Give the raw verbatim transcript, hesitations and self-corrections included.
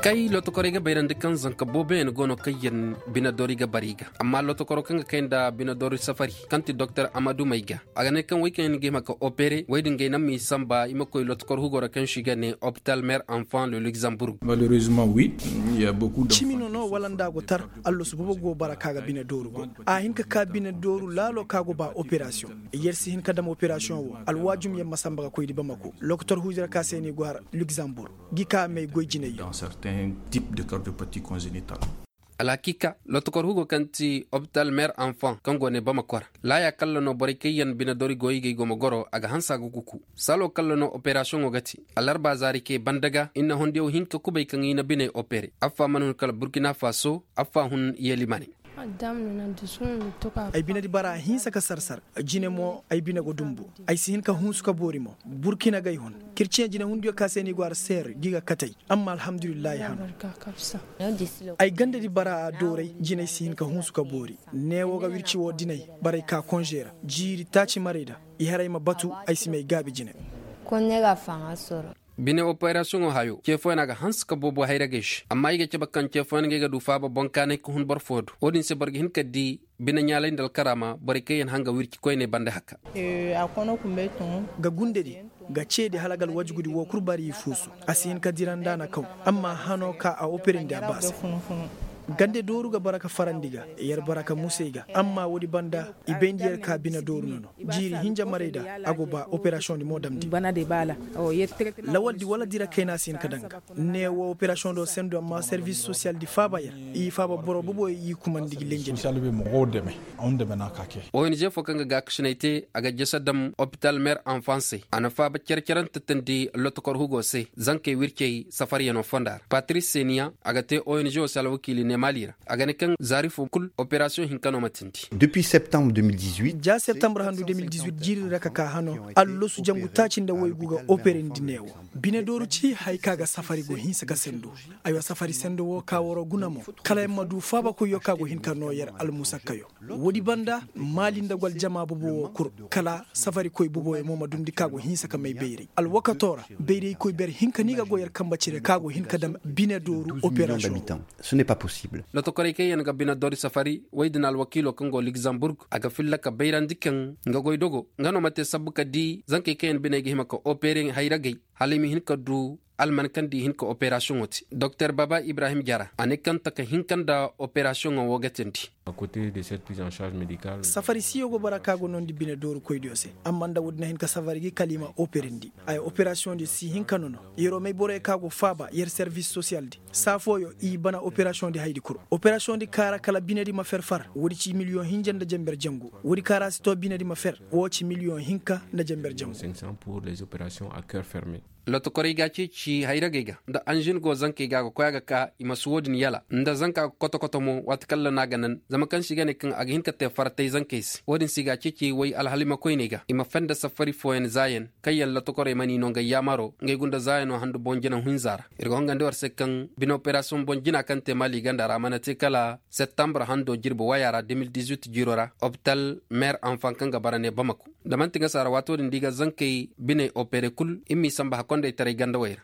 Kay lotokorey ga bayrandi kaŋ zanka booboyaŋ go no kaŋ yaŋ bine doori ga bara i ga. Amma lotokoro kaŋ ga kay nda bine doori safari kaŋ ti doktor amadu may ga, a ga ne kaŋ wey kaŋ yaŋ ga hima ka opere wey din ga ay naŋ ma i samba i ma koy lotokor hugo ra kaŋ se i ga ne hopital mer enfant le luxembourg. Cimi no no wala nda a go tar. Allasu boobo go bara ka ga bine dooru go a hin ka ka bine dooru laalo ka go ba operasiyoŋ. Yer si hin ka dam operasiyoŋ wo alwaajum yer ma samba ga koy di bamako lokotor huujira ka se ni go har luxembourg. Gi ka may goy jinay. Alhakiika lotokor hugo kaŋ ti hopital mer enfant kaŋ go ne bamako ra laaya kalla no borey kaŋ yaŋ bine doori go i ga i go ma goro a ga hanse a ga kuku. Salo kalla no operasiyoŋo ga te. Alarba zaari kay banda ga i na hondiyaw hin ka kubay kaŋ i na biney opere affa mana hun kala burkina faso. Affa hun yelimaney. Ay binedi bara a hinsa ka sarsar. Jine mo ay bine go dumbu. Ay si hin ka hunsu ka boori mo burkina gay hun. Kirciyaŋ jine hunduyo ka se ni go har seer gi ga katey. Amma alhamdulillahi hano. Ay gandedi bara a dooray jinay si hin ka hunsu ka boori. Neewo ga wirci wo dinay. Baray ka konze ra jiiri taaci maray da. I haray ma batu. Ay si may gaabi jine. Bine operasiyoŋo hayo ce fooyaŋ a ga hanse ka boobo hayragey se amma i ga cabe kaŋ ce fooyaŋ ga ay ga du faaba boŋ kaanay ka hun boro foo do wo-din se boro ga hin ka di. Bine ɲaalay nda alkaraama borey kaŋ yaŋ hanga wirci koyney banda haka. Ga gundedi ga ceedi hala ga alwajugudi woo kul bari i fuusu. A si hin ka dira nda a na kaw. Amma hano ka a operandi a ba se. Gande dooru ga bara ka farandi ga yer bara ka musey ga amma woodi banda. I bayndi yer ka bine dooru no no jiiri hinja marayda. A go ba operasiyoŋ di mo damndi. Lawaldi wala dira kayna si hin ka daŋ ga. Ne wo operasiyoŋ do sendo amma servis sosiyal di faaba yer. I faaba boro bobo i kumandi gi lenjedi. Ong fo kaŋ ga gaakasinay te a ga jese dam opital mer enfant se a na faaba cere-cerante teendi lotokor hugo se zankey wircey safariyano fonda ra patris seniya a ga te ong wo se alwakiili ne maali ra. A ga ne kaŋ zaari fo kul operasiyoŋ hinka no ma teendi. Depuis septembre deux mille dix-huit ja septembre handu deux mille dix-huit jiiri ra ka ka hano. Allasu jangu taaci nda waygu ga operandi ne wo. Bine dooru ci haya ka ga safari go hinsa ka sendo. Aywa safari sendo wo ka waroo guna mo. Kala yer ma du faabakoyyo ka go hin ka noo yer almusakkayo. Woodi banda maali nda go aljama bobo wo kul. Kala safarikoy boboyo mo ma dundi ka go hinsa ka may bayray alwakato ra. Bayraykoy ber hinka no i ga go yer kambe cire ka go hin ka dam bine dooru operasiyoŋ. Lotokorey kaŋ yaŋ ga bine doori safari woy din alwakiilo kaŋ go ligzamburg a ga filla ka bayrandi kaŋ nga goy dogo nga no ma te sabbu ka di zankey kaŋ yaŋ biney ga hima ka opere hayragey. Hala i ma hin ka du alman kaŋ da i hin ka operasiyoŋo te doktor baba ibrahim jara a ne kaŋ taka hinka nda operasiyoŋo wo ga teendi. Safari siyo go bara ka go noondi bine doorukoydiyo se. Amma nda woodin a hin ka safari gi kala i ma operandi. Ay operasiyoŋ di si hin ka nono. Yeroo may borey ka go faaba yer servis sosiyal di saa fooyo i bana operasiyoŋ di haydi kul. Operasiyoŋ di kaara kala binedi ma fer far woodi ci miliyoŋ hinja nda jenber jangu. Woodi kaara si too binedi ma fer woo ci miliyoŋ hinka nda jenber jangu. Lotokorey ga a ceeci hayragey ga nda anžin go zankey ga a ga koy a ga ka i ma si woodin yala nda zanka ga koto-koto mo waati kaŋ ra no a ga nan zama kaŋ se i ga ne kaŋ a ga hin ka te faratay zankey se woodin se i ga a ceeci way alhalimakoyney ga i ma fenda safari fooyaŋ zaayaŋ. Kaŋ yaŋ lotokorey mana i no ngey yaamaro ngey gunda zaayano handu boŋ jinaw hinza ra. Ir ga hongandi war se kaŋ bine operasiyoŋ boŋ jina kaŋ te maali ganda ra a mana te kala septembre hando jirbi waya ra deux mille dix-huit jiiro ra opital meer anfan kaŋ ga bara ne bamako. Da manti nga saara waato din da i ga zankey biney opere kul i m'i samba hakondaytaray gandawey ra.